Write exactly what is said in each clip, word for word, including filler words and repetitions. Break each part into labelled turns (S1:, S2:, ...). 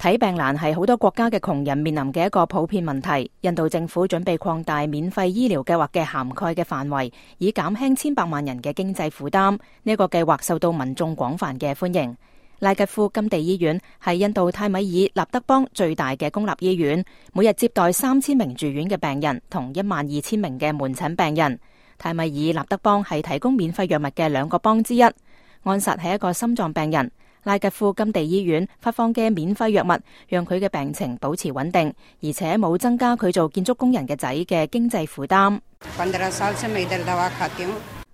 S1: 睇病難係好多國家嘅窮人面臨嘅一個普遍問題。印度政府準備擴大免費醫療計劃嘅涵蓋嘅範圍，以減輕千百萬人嘅經濟負擔。呢個計劃受到民眾廣泛嘅歡迎。拉吉夫甘地醫院係印度泰米爾納德邦最大嘅公立醫院，每日接待三千名住院嘅病人同一萬二千名嘅門診病人。泰米爾納德邦係提供免費藥物嘅兩個邦之一。安薩係一個心臟病人。拉吉夫甘地醫院發放嘅免費藥物，讓佢嘅病情保持穩定，而且冇增加佢做建築工人嘅仔嘅經濟負擔。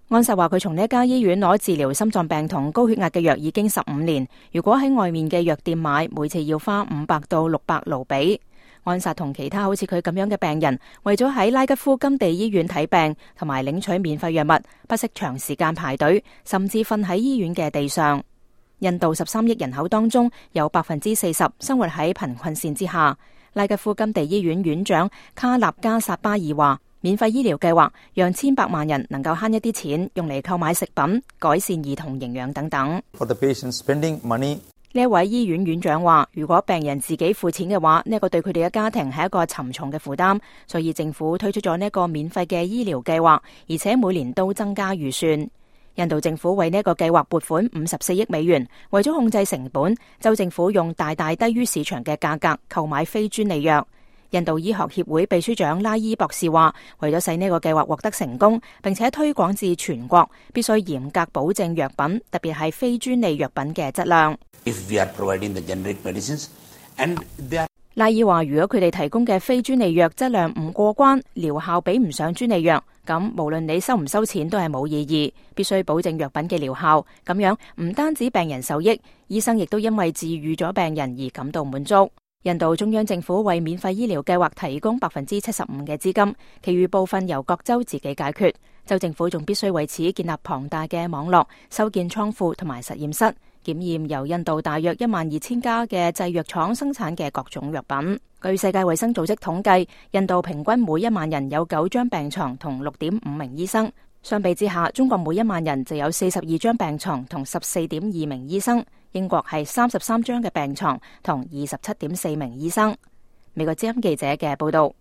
S1: 安薩話佢從呢一家醫院攞治療心臟病同高血壓嘅藥已經十五年，如果喺外面嘅藥店買，每次要花五百到六百盧比。安薩同其他好似佢咁樣嘅病人，為咗喺拉吉夫甘地醫院睇病同埋領取免費藥物，不惜長時間排隊，甚至瞓喺醫院嘅地上。印度十三億人口當中，有百分之四十生活喺貧困線之下。拉吉夫甘地醫院院長卡納加薩巴爾話，免費醫療計劃讓千百萬人能夠慳一啲錢，用嚟購買食品、改善兒童營養等等。
S2: For the patient spending money，
S1: 呢一位醫院院長話，如果病人自己付錢嘅話，呢、這個對佢哋嘅家庭係一個沉重嘅負擔，所以政府推出咗呢一個免費嘅醫療計劃，而且每年都增加預算。印度政府為呢一個計劃撥款五十四億美元，為咗控制成本，州政府用大大低於市場嘅價格購買非專利藥。印度醫學協會秘書長拉伊博士話，為咗使呢個計劃獲得成功，並且推廣至全國，必須嚴格保證藥品，特別係非專利藥品嘅質量。
S3: If we are providing the generic medicines, and they are...
S1: 拉伊話，如果佢哋提供嘅非專利藥質量唔過關，療效比唔上專利藥，咁無論你收唔收錢都係冇意義。必須保證藥品嘅療效，咁樣唔單止病人受益，醫生亦都因為治癒咗病人而感到滿足。印度中央政府為免費醫療計劃提供百分之七十五嘅資金，其餘部分由各州自己解決。州政府仲必須為此建立龐大嘅網絡，修建倉庫同埋實驗室，檢驗由印度大約一萬二千家嘅製藥廠生產嘅各種藥品。據世界衛生組織統計，印度平均每一萬人有九張病床同六點五名醫生。相比之下，中國每一萬人就有四十二張病床同十四點二名醫生。英國係三十三張嘅病床同二十七點四名醫生。美國之音記者嘅報道。